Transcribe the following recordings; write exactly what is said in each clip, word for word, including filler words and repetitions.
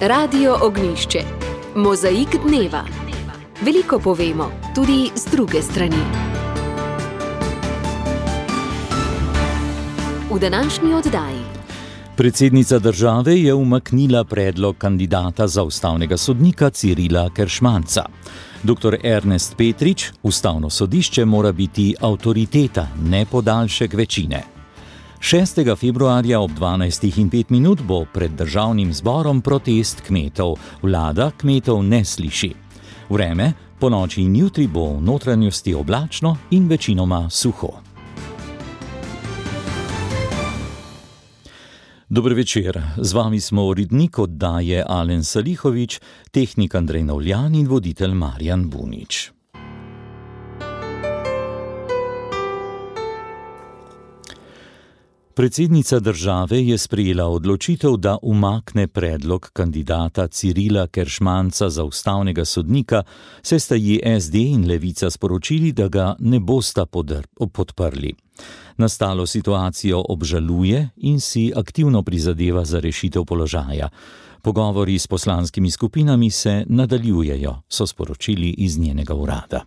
Radio Ognjišče. Mozaik dneva. Veliko povemo, tudi z druge strani. V današnji oddaji. Predsednica države je umaknila predlog kandidata za ustavnega sodnika Cirila Keršmanca. doktor Ernest Petrič, ustavno sodišče mora biti avtoriteta, ne podaljšek večine. šestega februarja ob dvanajstih in pet minut bo pred državnim zborom protest kmetov. Vlada kmetov ne sliši. Vreme, ponoči in jutri bo v notranjosti oblačno in večinoma suho. Dober večer, z vami smo urednik oddaje Alen Salihovič, tehnik Andrej Navljan in voditelj Marjan Bunič. Predsednica države je sprejela odločitev, da umakne predlog kandidata Cirila Keršmanca za ustavnega sodnika, saj sta ji es de in Levica sporočili, da ga ne bosta podprli. Nastalo situacijo obžaluje in si aktivno prizadeva za rešitev položaja. Pogovori s poslanskimi skupinami se nadaljujejo, so sporočili iz njenega urada.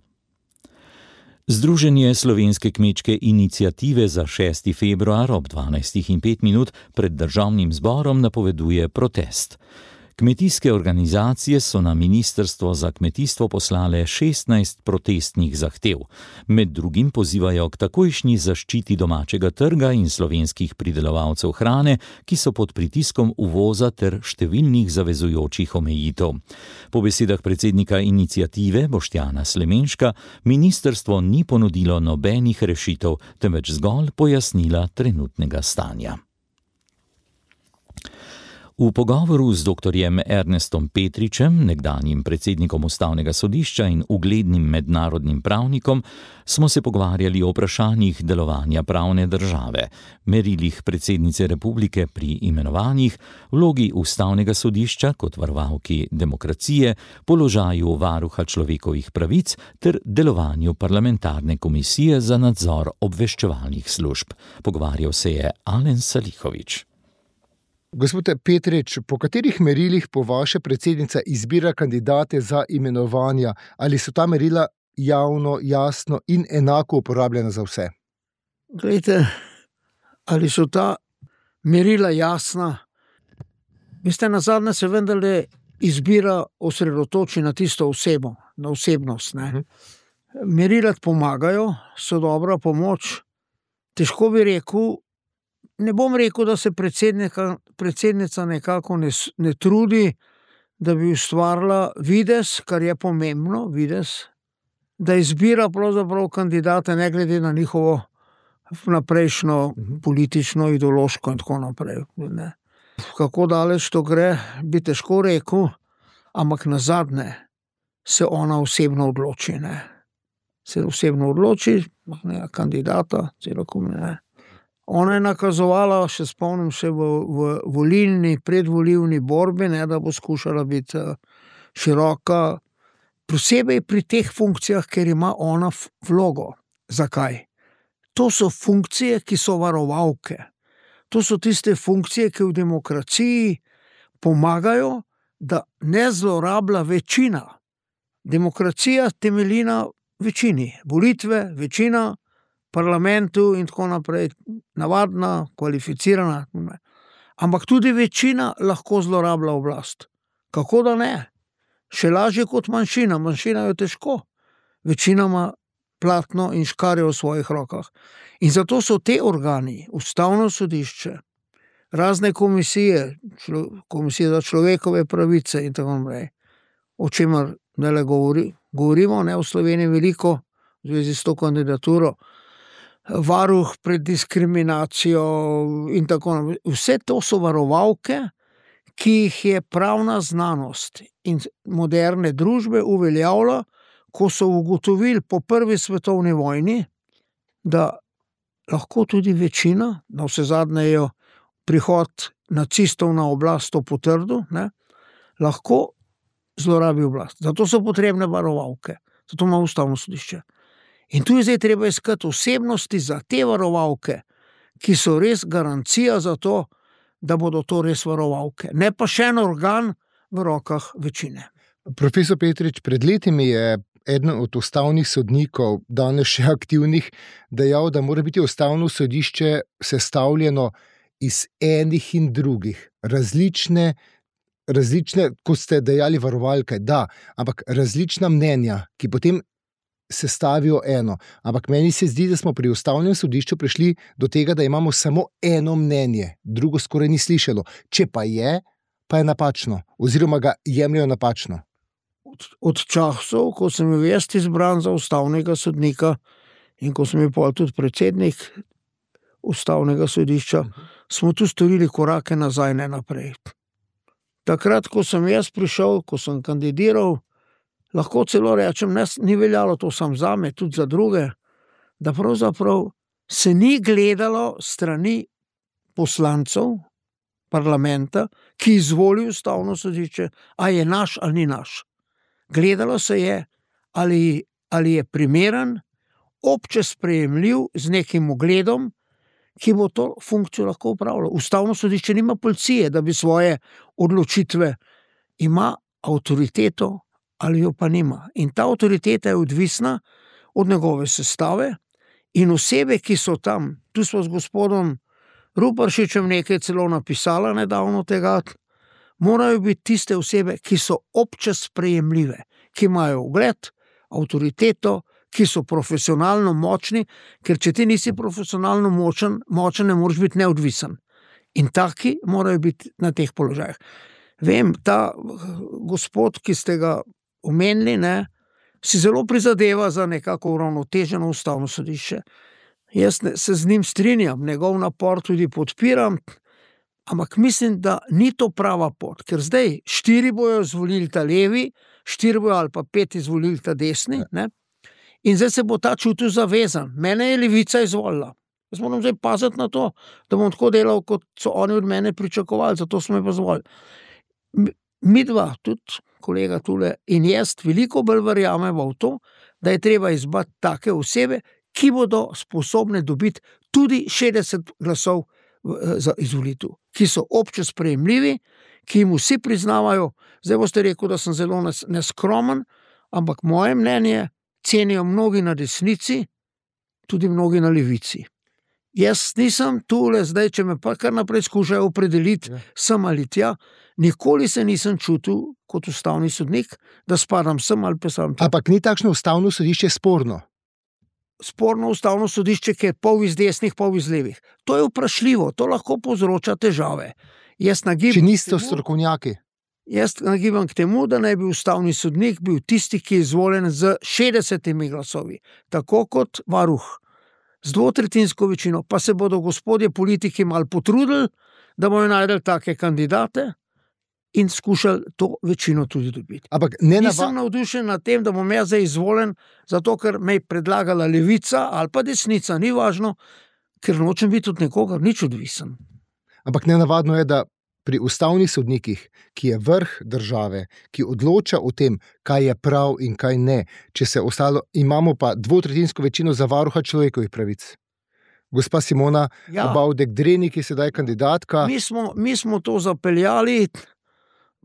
Združenje Slovenske kmečke iniciative za šesti februar ob dvanajstih in pet minut pred državnim zborom napoveduje protest. Kmetijske organizacije so na Ministrstvo za kmetijstvo poslale šestnajst protestnih zahtev. Med drugim pozivajo k takojšnji zaščiti domačega trga in slovenskih pridelovalcev hrane, ki so pod pritiskom uvoza ter številnih zavezujočih omejitev. Po besedah predsednika iniciative Boštjana Slemenška, ministrstvo ni ponudilo nobenih rešitev, temveč zgolj pojasnila trenutnega stanja. V pogovoru z doktorjem Ernestom Petričem, nekdanjim predsednikom ustavnega sodišča in uglednim mednarodnim pravnikom, smo se pogovarjali o vprašanjih delovanja pravne države, merilih predsednice republike pri imenovanjih, vlogi ustavnega sodišča kot varovalki demokracije, položaju varuha človekovih pravic ter delovanju parlamentarne komisije za nadzor obveščevalnih služb. Pogovarjal se je Alen Salihovič. Gospod Petrič, po katerih merilih po vaše predsednica izbira kandidate za imenovanja? Ali so ta merila javno, jasno in enako uporabljena za vse? Glejte, ali so ta merila jasna? Veste, nazadnje se vendarle izbira osredotoči na tisto osebo, na osebnost. Ne? Merila pomagajo, so dobra pomoč. Težko bi rekel, Ne bom rekel, da se predsednica nekako ne, ne trudi, da bi ustvarila videz, kar je pomembno, videz, da izbira pravzaprav kandidate ne glede na njihovo naprejšnjo politično, ideološko in tako naprej. Ne. Kako daleč to gre, bi težko rekel, ampak nazadnje se ona osebno odloči. Ne. Se osebno odloči, ne, kandidata, celokom ne. Ona je nakazovala, še spomnim še v, v volilni, predvolilni borbi, ne, da bo skušala biti široka, posebej pri teh funkcijah, ker ima ona vlogo. Zakaj? To so funkcije, ki so varovalke. To so tiste funkcije, ki v demokraciji pomagajo, da ne zlorablja večina. Demokracija temelji na večini. Volitve, večina, parlamentu in tako naprej, navadna, kvalificirana. Ampak tudi večina lahko zlorablja oblast. Kako da ne? Še lažje kot manjšina. Manjšina je težko. Večina ima platno in škarje v svojih rokah. In zato so te organi, ustavno sodišče, razne komisije, člo, komisije za človekove pravice in tako naprej, o čemer ne le govori, govorimo, ne v Sloveniji veliko, v zvezi s to kandidaturo, varuh pred diskriminacijo in tako naprej. Vse to so varovalke, ki jih je pravna znanost in moderne družbe uveljavila, ko so ugotovili po prvi svetovni vojni, da lahko tudi večina, na vse zadnje je prihod nacistov na oblast to potrdil, ne, lahko zlorabi oblast. Zato so potrebne varovalke. Zato ima ustavno sodišče. In tu je zdaj treba iskati osebnosti za te varovalke, ki so res garancija za to, da bodo to res varovalke. Ne pa še en organ, v rokah večine. Profesor Petrič, pred leti mi je eden od ustavnih sodnikov, danes še aktivnih, dejal, da mora biti ustavno sodišče sestavljeno iz enih in drugih, različne, različne, kot ste dejali, varovalke, da, ampak različna mnenja, ki potem sestavijo eno. Ampak meni se zdi, da smo pri ustavnem sodišču prišli do tega, da imamo samo eno mnenje, drugo skoraj ni slišalo. Če pa je, pa je napačno, oziroma ga jemljajo napačno. Od, od časov, ko sem bil jaz izbran za ustavnega sodnika in ko sem bil pol tudi predsednik ustavnega sodišča, smo tu storili korake nazaj, ne naprej. Takrat, ko sem jaz prišel, ko sem kandidiral, lahko celo rečem, ne, ni veljalo to sam zame, tudi za druge, da pravzaprav se ni gledalo strani poslancev parlamenta, ki izvoli ustavno sodišče, a je naš ali ni naš. Gledalo se je, ali, ali je primeren, obče sprejemljiv z nekim ugledom, ki bo to funkcijo lahko upravljal. Ustavno sodišče nima policije, da bi svoje odločitve, ima avtoriteto ali jo pa nima. In ta avtoriteta je odvisna od njegove sestave in osebe, ki so tam. Tu smo z gospodom Ruparšičem nekaj celo napisala nedavno tega, morajo biti tiste osebe, ki so obče sprejemljive, ki imajo ugled, avtoriteto, ki so profesionalno močni, ker če ti nisi profesionalno močen, močen ne moreš biti neodvisen. In taki morajo biti na teh položajih. Vem, ta gospod, ki ste ga omenili, ne, si zelo prizadeva za nekako uravnoteženo ustavno sodišče. Jaz se z njim strinjam, njegov napor tudi podpiram, ampak mislim, da ni to prava pot, ker zdaj štiri bojo izvolili ta levi, štiri bojo ali pa pet izvolili ta desni, ne? In zdaj se bo ta čutil zavezan. Mene je levica izvolila. Jaz moram zdaj paziti na to, da bom tako delal, kot so oni od mene pričakovali, zato smo me pa izvolili. Mi dva, tudi kolega tule in jaz, veliko bolj verjamemo v to, da je treba izbrati take osebe, ki bodo sposobne dobiti tudi šestdeset glasov za izvolitev, ki so obče sprejemljivi, ki jim vsi priznavajo. Zdaj boste rekel, da sem zelo neskromen, ampak moje mnenje cenijo mnogi na desnici, tudi mnogi na levici. Jaz nisem tule zdaj, če me pa kar naprej skušajo opredeliti, ja. Sem ali tja, nikoli se nisem čutil kot ustavni sodnik, da spadam sem ali pa sem tja. Ampak ni takšno ustavno sodišče sporno? Sporno ustavno sodišče, ki je pol iz desnih, pol iz levih. To je vprašljivo, to lahko povzroča težave. Jaz nagibam, če niste strokovnjaki? Jaz nagibam k temu, da naj bi ustavni sodnik bil tisti, ki je izvoljen z šestdesetimi glasovi, tako kot varuh. Z dvotretjinsko večino, pa se bodo gospodje politiki malo potrudili, da bojo najdeli take kandidate in skušali to večino tudi dobiti. Ampak ne nava... Nisem navdušen nad tem, da bom jaz zdaj izvoljen, zato ker me je predlagala levica ali pa desnica, ni važno, ker nočem biti od nekoga nič odvisen. Ampak nenavadno je, da pri ustavnih sodnikih, ki je vrh države, ki odloča o tem, kaj je prav in kaj ne, če se ostalo, imamo pa dvotretjinsko večino za varuha človekovih pravic. Gospa Simona ja. Bavdek-Dreni, ki je sedaj kandidatka. Mi smo, mi smo to zapeljali,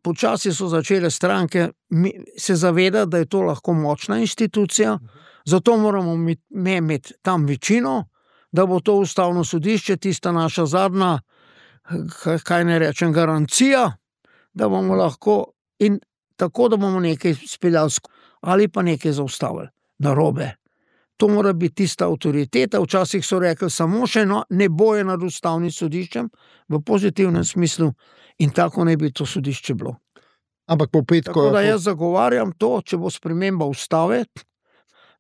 počasi so začele stranke se zavedati, da je to lahko močna institucija, zato moramo mi imeti tam večino, da bo to ustavno sodišče, tista naša zadnja, kaj ne rečem, garancija, da bomo lahko in tako, da bomo nekaj speljali ali pa nekaj zaustavili. Narobe. To mora biti tista avtoriteta. Včasih so rekli samo še no, ne boje nad ustavnim sodiščem v pozitivnem smislu in tako ne bi to sodišče bilo. Ampak po petko... Tako da jaz zagovarjam to, če bo sprememba ustave,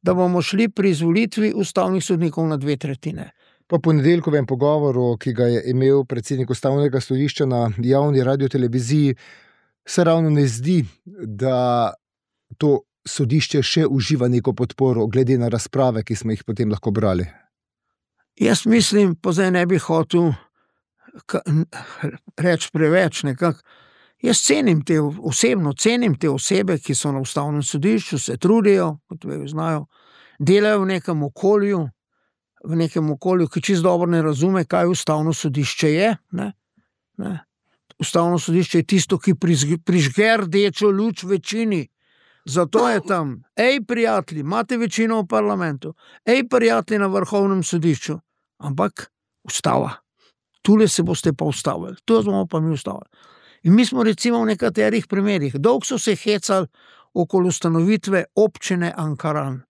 da bomo šli pri izvolitvi ustavnih sodnikov na dve tretjine. Po ponedeljkovem pogovoru, ki ga je imel predsednik ustavnega sodišča na javni radioteleviziji, se ravno ne zdi, da to sodišče še uživa neko podporo, glede na razprave, ki smo jih potem lahko brali. Jaz mislim, pa zdaj ne bi hotel reči preveč nekako. Jaz cenim te, osebno cenim te osebe, ki so na ustavnem sodišču, se trudijo, kot ve, znajo, delajo v nekem okolju, v nekem okolju, ki čisto dobro ne razume, kaj ustavno sodišče je. Ne? Ne? Ustavno sodišče je tisto, ki prižge rdečo luč večini. Zato je tam, ej, prijatelji, imate večino v parlamentu, ej, prijatelji na vrhovnem sodišču, ampak ustava. Tule se boste pa ustavili, tu smo pa mi ustavili. In mi smo recimo v nekaterih primerih, dolgo so se hecali okoli ustanovitve občine Ankaran.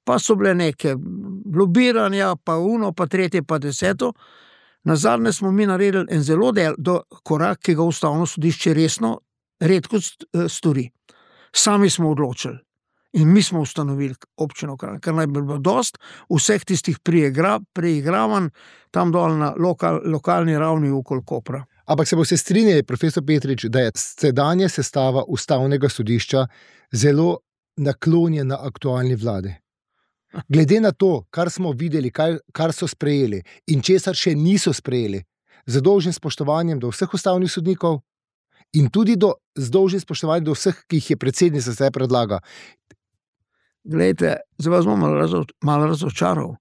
Pa so bile neke lobiranja, pa uno, pa tretje, pa deseto. Nazadnje smo mi naredili en zelo del do korak, ki ga ustavno sodišče resno redko stori. Sami smo odločili in mi smo ustanovili občino Kranj, ker naj bi bilo dost vseh tistih preigra, preigravanj tam dol na lokal, lokalni ravni okoli Kopra. Ampak se boste strinjali, profesor Petrič, da je sedanja sestava ustavnega sodišča zelo naklonjena aktualni vladi. Glede na to, kar smo videli, kar, kar so sprejeli in česar še niso sprejeli, z dolžnim spoštovanjem do vseh ustavnih sodnikov in tudi do, z dolžnim spoštovanjem do vseh, ki jih je predsednica zdaj predlaga. Glejte, zdaj vas bom malo, razo, malo razočaral.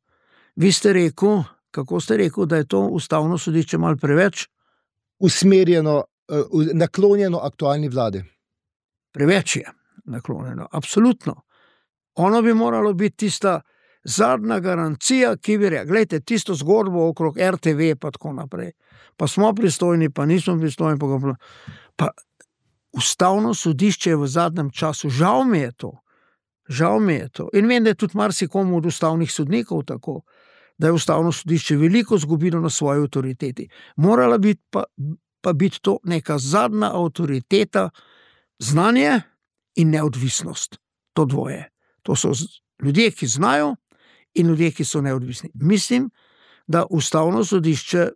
Vi ste rekel, kako ste rekel, da je to ustavno sodišče malo preveč? Usmerjeno, naklonjeno aktualni vladi. Preveč je naklonjeno, absolutno. Ono bi moralo biti tista zadnja garancija, ki bi rekla, gledajte, tisto zgodbo okrog er te ve pa tako naprej. Pa smo pristojni, pa nismo pristojni. Pa, pa ustavno sodišče je v zadnjem času, žal mi je to, žal mi je to. In vem, da je tudi marsikomu od ustavnih sodnikov tako, da je ustavno sodišče veliko zgubilo na svoji avtoriteti. Morala biti pa, pa biti to neka zadnja avtoriteta, znanje in neodvisnost. To dvoje. To so ljudje, ki znajo in ljudje, ki so neodvisni. Mislim, da ustavno sodišče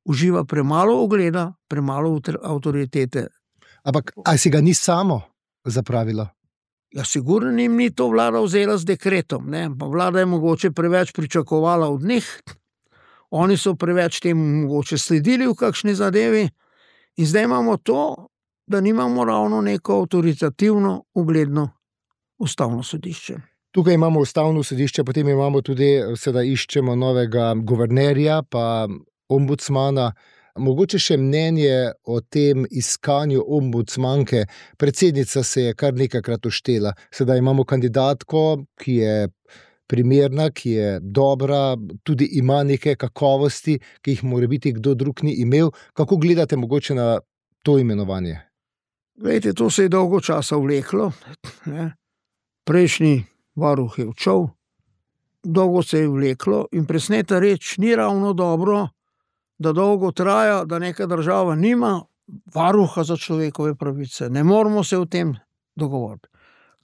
uživa premalo ugleda, premalo avtoritete. Ampak, a si ga ni samo zapravilo? Ja, sigurno jim ni to vlada vzela z dekretom, ne? Pa vlada je mogoče preveč pričakovala od njih, oni so preveč temu mogoče sledili v kakšni zadevi in zdaj imamo to, da nimamo ravno neko avtoritativno, ugledno ustavno sodišče. Tukaj imamo ustavno sodišče, potem imamo tudi, sedaj iščemo novega guvernerja, pa ombudsmana. Mogoče še mnenje o tem iskanju ombudsmanke. Predsednica se je kar nekajkrat uštela. Sedaj imamo kandidatko, ki je primerna, ki je dobra, tudi ima neke kakovosti, ki jih mora biti kdo drug ni imel. Kako gledate mogoče na to imenovanje? Glejte, to se je dolgo časa vleklo, ne? Prejšnji varuh je odšel, dolgo se je vleklo in presneta reč ni ravno dobro, da dolgo traja, da neka država nima varuha za človekove pravice. Ne moramo se o tem dogovoriti.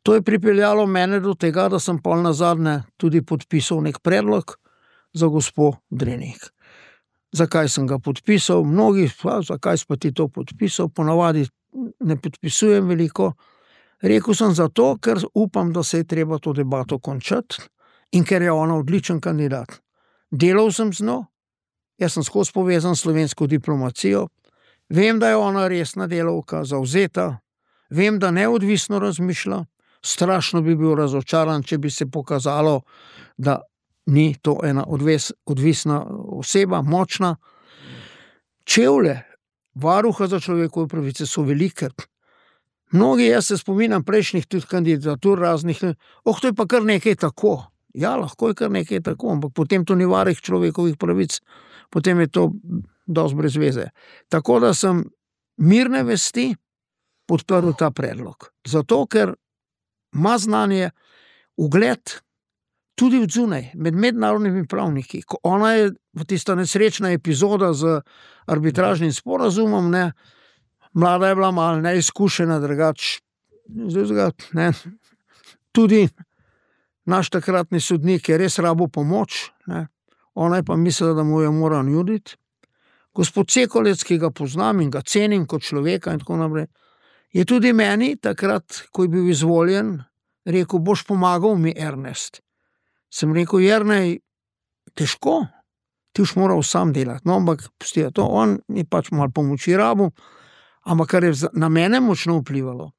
To je pripeljalo mene do tega, da sem pol nazadnje tudi podpisal nek predlog za gospo Drenik. Zakaj sem ga podpisal? Mnogi, pa, zakaj si pa ti to podpisal? Ponavadi ne podpisujem veliko. Rekel sem zato, ker upam, da se je treba to debato končati in ker je ona odličen kandidat. Delal sem z njo, jaz sem skozi povezan s slovensko diplomacijo, vem, da je ona resna delavka, zavzeta, vem, da neodvisno razmišlja, strašno bi bil razočaran, če bi se pokazalo, da ni to ena odves, odvisna oseba, močna. Čevlje varuha za človekove pravice so velike. Mnogi, jaz se spominjam prejšnjih tudi kandidatur raznih, oh, to je pa kar nekaj tako. Ja, lahko je kar nekaj tako, ampak potem to ni varuh človekovih pravic, potem je to dosti brez veze. Tako da sem mirne vesti podprl ta predlog. Zato, ker ima znanje, ugled tudi od zunaj, med mednarodnimi pravniki. Ko ona je v tista nesrečna epizoda z arbitražnim sporazumom, ne, mlada je bila malo neizkušena, drugač, ne, tudi naš takratni sodnik je res rabo pomoč, ne, ona je pa mislila, da mu jo mora nuditi. Gospod Cekolec, ki ga poznam in ga cenim kot človeka in tako naprej, je tudi meni takrat, ko je bil izvoljen, rekel, boš pomagal mi, Ernest. Sem rekel, Jernej, težko, ti už moral sam delati, no, ampak pusti to, on je pač malo pomoči rabo, ampak kar je na mene močno vplivalo,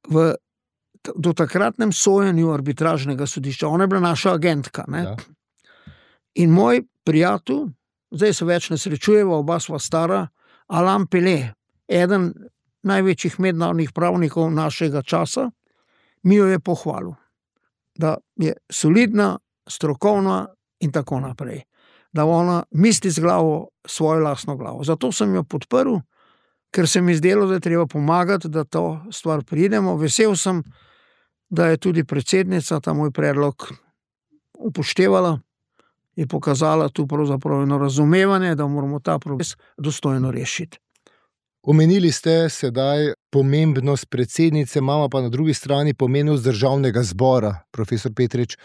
v, do takratnem sojenju arbitražnega sodišča, ona je bila naša agentka, ne? Ja. In moj prijatelj, zdaj se več ne srečujeva, oba sva stara, Alain Pelé, eden največjih mednarodnih pravnikov našega časa, mi jo je pohvalil, da je solidna, strokovna in tako naprej. Da ona misli z glavo svojo lastno glavo. Zato sem jo podprl, ker se mi zdelo, da je treba pomagati, da to stvar pridemo. Vesel sem, da je tudi predsednica ta moj predlog upoštevala in pokazala tu pravzaprav eno razumevanje, da moramo ta problem dostojno rešiti. Omenili ste sedaj pomembnost predsednice, imamo pa na drugi strani pomembnost državnega zbora, profesor Petrič.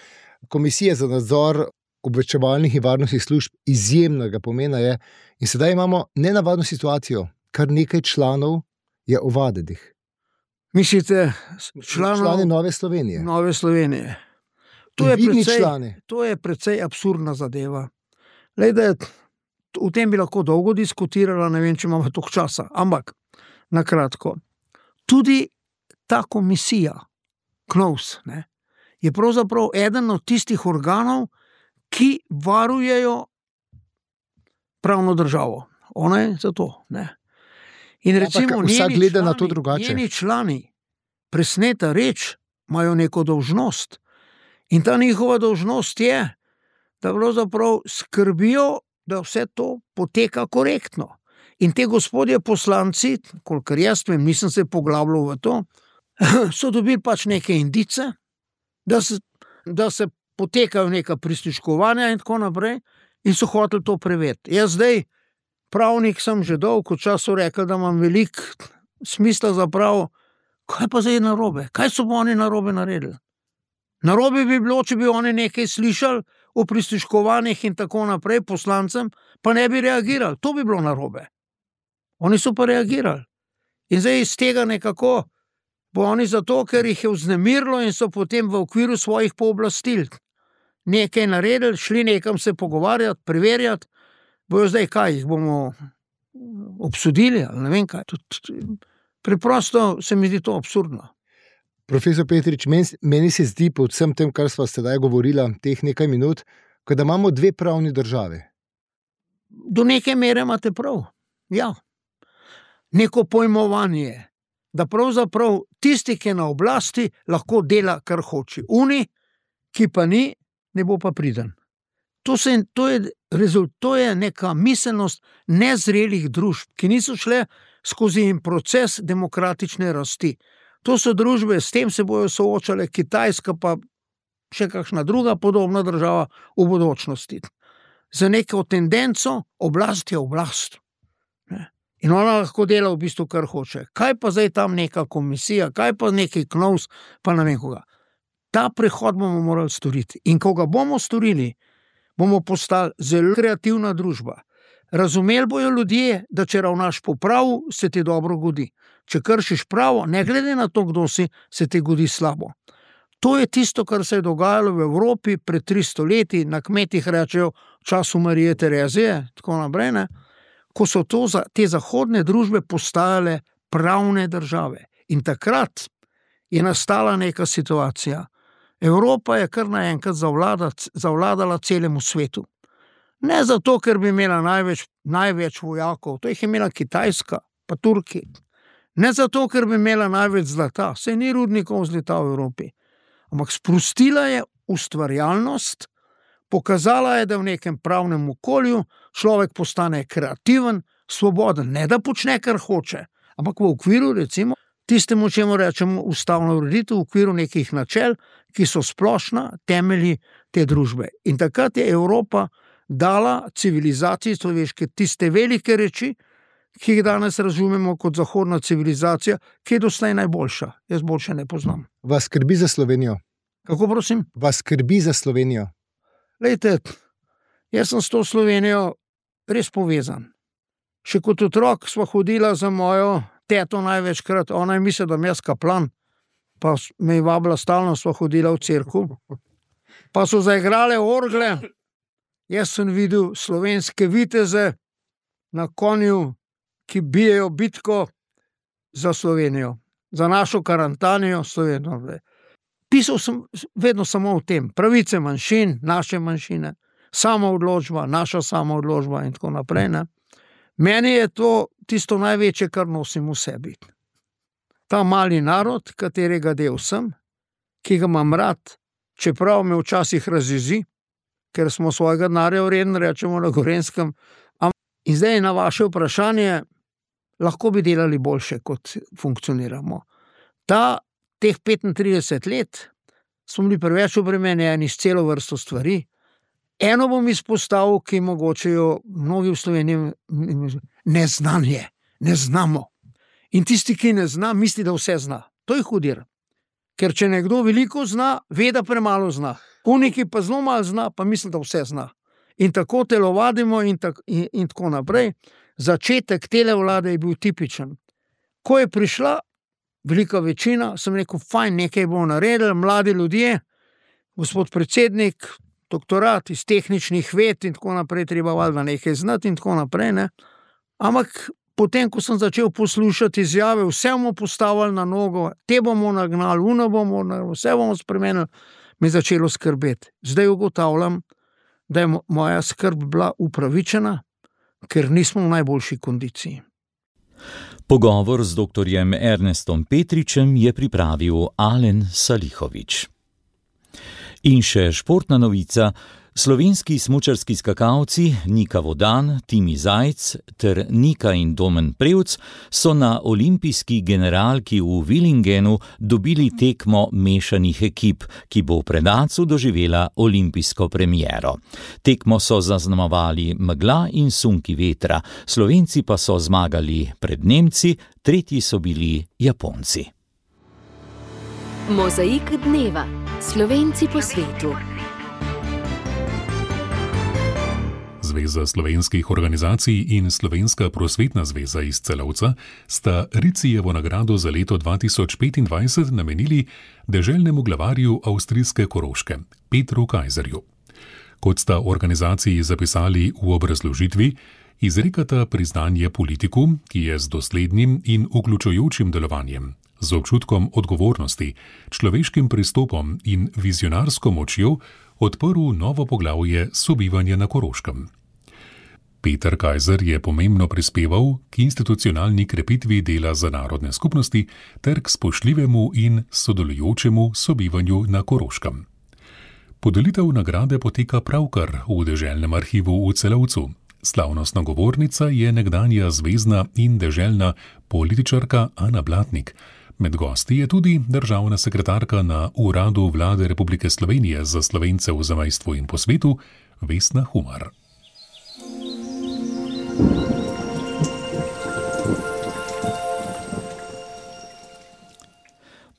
Komisija za nadzor obveščevalnih in varnostnih služb izjemnega pomena je in sedaj imamo nenavadno situacijo, kar nekaj članov je ovadenih. Mislite, članov člani Nove Slovenije? Nove Slovenije. To je, Vidni precej, člani. to je precej absurdna zadeva. Lejde, o tem bi lahko dolgo diskutirala, ne vem, če imamo toliko časa, ampak na kratko. Tudi ta komisija, KNOVS, ne, je pravzaprav eden od tistih organov, ki varujejo pravno državo. Ona je za to, ne. In recimo, vsak njeni gleda na člani, to drugače. njeni člani, presneta reč, imajo neko dolžnost. In ta njihova dolžnost je, da pravzaprav skrbijo, da vse to poteka korektno. In te gospodje poslanci, kolikor jaz vem, nisem se poglabljal v to, so dobili pač neke indice, da se, da se potekajo neka prisluškovanja in tako naprej, in so hoteli to preveriti. Jaz zdaj, pravnik sem že dolgo času rekel, da imam veliko smisla za pravo, kaj pa zdaj narobe? Kaj so oni narobe naredili? Narobe bi bilo, če bi oni nekaj slišali o prisluškovanjih in tako naprej poslancem, pa ne bi reagirali. To bi bilo narobe. Oni so pa reagirali. In zdaj iz tega nekako bo oni zato, ker jih je vznemirilo in so potem v okviru svojih pooblastil nekaj naredili, šli nekam se pogovarjati, preverjati, bojo zdaj kaj, jih bomo obsodili, ali ne vem kaj. Preprosto se mi zdi to absurdno. Profesor Petrič, meni se zdi po vsem tem, kar sva sedaj govorila, teh nekaj minut, da imamo dve pravni države. Do neke mere imate prav, ja. Neko pojmovanje, da pravzaprav tisti, ki je na oblasti, lahko dela, kar hoče. Uni, ki pa ni, ne bo pa priden. To, se, to, je, to je neka miselnost nezrelih družb, ki niso šle skozi proces demokratične rasti. To so družbe, s tem se bojo soočale, Kitajska pa še kakšna druga podobna država v bodočnosti. Za neko tendenco oblast je oblast. In ona lahko dela v bistvu, kar hoče. Kaj pa zdaj tam neka komisija, kaj pa neki KNOVS, pa ne vem koga. Ta prehod bomo morali storiti. In ko ga bomo storili, bomo postali zelo kreativna družba. Razumeli bojo ljudje, da če ravnaš po pravu, se ti dobro godi. Če kršiš pravo, ne glede na to, kdo si, se ti godi slabo. To je tisto, kar se je dogajalo v Evropi pred tristo leti, na kmetih rečejo v času Marije Terezije, tako naprej, ne, ko so to, te zahodne družbe postajale pravne države. In takrat je nastala neka situacija. Evropa je kar naenkrat zavladala celemu svetu. Ne zato, ker bi imela največ, največ vojakov, to jih je imela Kitajska, pa Turki. Ne zato, ker bi imela največ zlata, saj ni rudnikov zlata v Evropi. Ampak sprostila je ustvarjalnost, pokazala je, da v nekem pravnem okolju človek postane kreativen, svoboden, ne da počne, kar hoče, ampak v okviru, recimo, tistemu, čemu rečemo ustavna ureditev, v okviru nekih načel, ki so splošna, temelji te družbe. In takrat je Evropa dala civilizaciji človeške tiste velike reči, ki jih danes razumemo kot zahodna civilizacija, ki je doslej najboljša. Jaz boljše ne poznam. Vas skrbi za Slovenijo? Kako prosim? Vas skrbi za Slovenijo? Lejte, jaz sem s to Slovenijo res povezan. Še kot otrok sva hodila za mojo teto največkrat, ona je mislila, da mi jaz kaplan, pa me je vabila stalno, sva hodila v cerkev. Pa so zaigrale orgle, jaz sem videl slovenske viteze na konju, ki bijejo bitko za Slovenijo, za našo Karantanijo Slovenijo. Pisal sem vedno samo o tem, pravice manjšin, naše manjšine, samoodločba, naša samoodločba in tako naprej. Ne? Meni je to tisto največje, kar nosim v sebi. Ta mali narod, katerega del sem, ki ga imam rad, čeprav me včasih razjezi, ker smo svojega denarja vreden, rečemo na Gorenjskem. In zdaj na vaše vprašanje, lahko bi delali boljše, kot funkcioniramo. Ta, teh petintrideset let smo bili preveč obremenjeni s celo vrsto stvari. Eno bom izpostavil, ki mogoče jo mnogi v Sloveniji neznanje, ne znamo. In tisti, ki ne zna, misli, da vse zna. To je hudir. Ker če nekdo veliko zna, ve, da premalo zna. Uniki pa zelo malo zna, pa misli, da vse zna. In tako telovadimo in, tak, in, in tako naprej. Začetek tele vlade je bil tipičen. Ko je prišla velika večina, sem rekel, fajn, nekaj bomo naredili, mladi ljudje, gospod predsednik, doktorat iz tehničnih ved in tako naprej, treba valjda nekaj znati in tako naprej. Ne? Ampak potem, ko sem začel poslušati izjave, vse bomo postavili na nogo, te bomo nagnali, uno bomo nagnali, vse bomo spremenili, me je začelo skrbeti. Zdaj ugotavljam, da je moja skrb bila upravičena, ker nismo v najboljši kondiciji. Pogovor z doktorjem Ernestom Petričem je pripravil Alen Salihovič. In še športna novica. Slovenski smučarski skakalci Nika Vodan, Timi Zajc ter Nika in Domen Prevc so na olimpijski generalki v Villingenu dobili tekmo mešanih ekip, ki bo v Predacu doživela olimpijsko premiero. Tekmo so zaznamovali megla in sunki vetra, Slovenci pa so zmagali pred Nemci, tretji so bili Japonci. Mozaik dneva. Slovenci po svetu. Zveza slovenskih organizacij in Slovenska prosvetna zveza iz Celovca sta Ricijevo nagrado za leto dva tisoč petindvajset namenili deželnemu glavarju avstrijske Koroške, Petru Kajzerju. Kot sta organizaciji zapisali v obrazložitvi, izrekata priznanje politiku, ki je z doslednim in vključujočim delovanjem, z občutkom odgovornosti, človeškim pristopom in vizionarsko močjo odprl novo poglavje sobivanja na Koroškem. Peter Kajzer je pomembno prispeval k institucionalni krepitvi dela za narodne skupnosti ter k spoštljivemu in sodelujočemu sobivanju na Koroškem. Podelitev nagrade poteka pravkar v deželnem arhivu v Celovcu. Slavnostna govornica je nekdanja zvezna in deželna političarka Ana Blatnik. Med gosti je tudi državna sekretarka na Uradu Vlade Republike Slovenije za Slovence v zamejstvu in po svetu, Vesna Humar.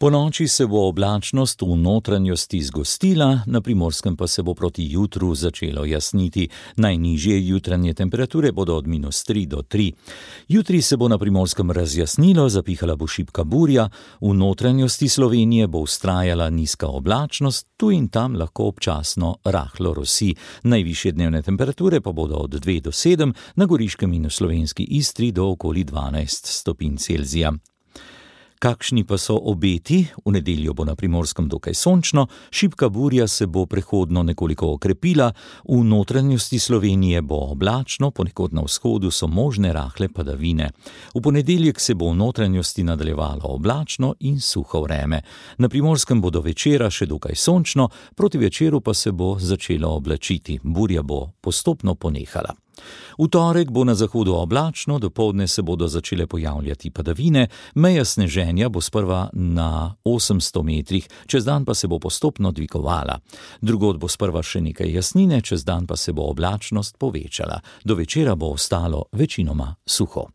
Po noči se bo oblačnost v notranjosti zgostila, na Primorskem pa se bo proti jutru začelo jasniti. Najnižje jutranje temperature bodo od minus tri do tri. Jutri se bo na Primorskem razjasnilo, zapihala bo šibka burja, v notranjosti Slovenije bo vztrajala nizka oblačnost, tu in tam lahko občasno rahlo rosi. Najvišje dnevne temperature pa bodo od dve do sedem, na Goriškem in v slovenski Istri do okoli dvanajst stopinj Celzija. Kakšni pa so obeti? V nedeljo bo na Primorskem dokaj sončno, šibka burja se bo prehodno nekoliko okrepila, v notranjosti Slovenije bo oblačno, ponekod na vzhodu so možne rahle padavine. V ponedeljek se bo v notranjosti nadaljevalo oblačno in suho vreme. Na Primorskem bo do večera še dokaj sončno, proti večeru pa se bo začelo oblačiti, burja bo postopno ponehala. V torek bo na zahodu oblačno, dopoldne se bodo začele pojavljati padavine, meja sneženja bo sprva na osemsto metrih, čez dan pa se bo postopno dvigovala. Drugod bo sprva še nekaj jasnine, čez dan pa se bo oblačnost povečala. Do večera bo ostalo večinoma suho.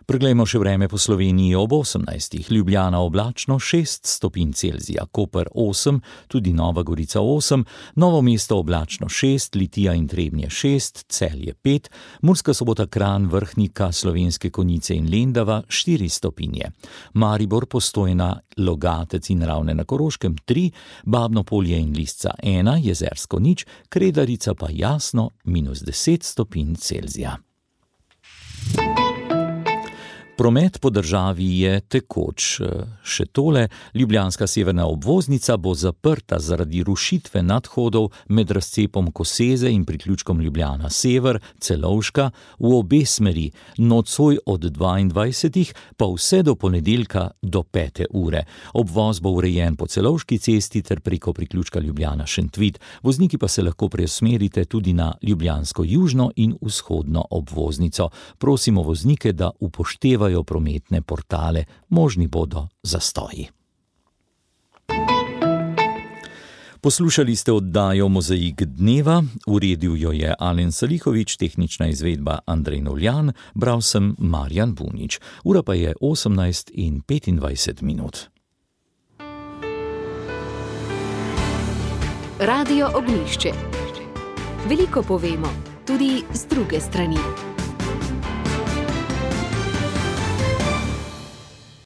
Preglejmo še vreme po Sloveniji ob osemnajstih. Ljubljana oblačno šest stopinj Celzija, Koper osem, tudi Nova Gorica osem, Novo mesto oblačno šest, Litija in Trebnje šest, Celje pet, Murska Sobota, Kranj, Vrhnika, Slovenske Konjice in Lendava štiri stopinje. Maribor, Postojna, Logatec in Ravne na Koroškem tri, Babno Polje in Lisca ena, Jezersko nič, Kredarica pa jasno minus deset stopinj Celzija. Promet po državi je tekoč. Še tole, ljubljanska severna obvoznica bo zaprta zaradi rušitve nadhodov med razcepom Koseze in priključkom Ljubljana Sever, Celovška, v obe smeri, nocoj od dvaindvajsetih pa vse do ponedeljka do pete ure. Obvoz bo urejen po Celovški cesti ter preko priključka Ljubljana Šentvid. Vozniki pa se lahko preusmerite tudi na ljubljansko južno in vzhodno obvoznico. Prosimo voznike, da upoštevajo prometne portale, možni bodo zastoji. Poslušali ste oddajo Mozaik dneva, uredil jo je Alen Salihovič, tehnična izvedba Andrej Novljan, bral sem Marjan Bunič. Ura pa je osemnajst in petindvajset minut. Radio Ognjišče. Veliko povemo, tudi z druge strani.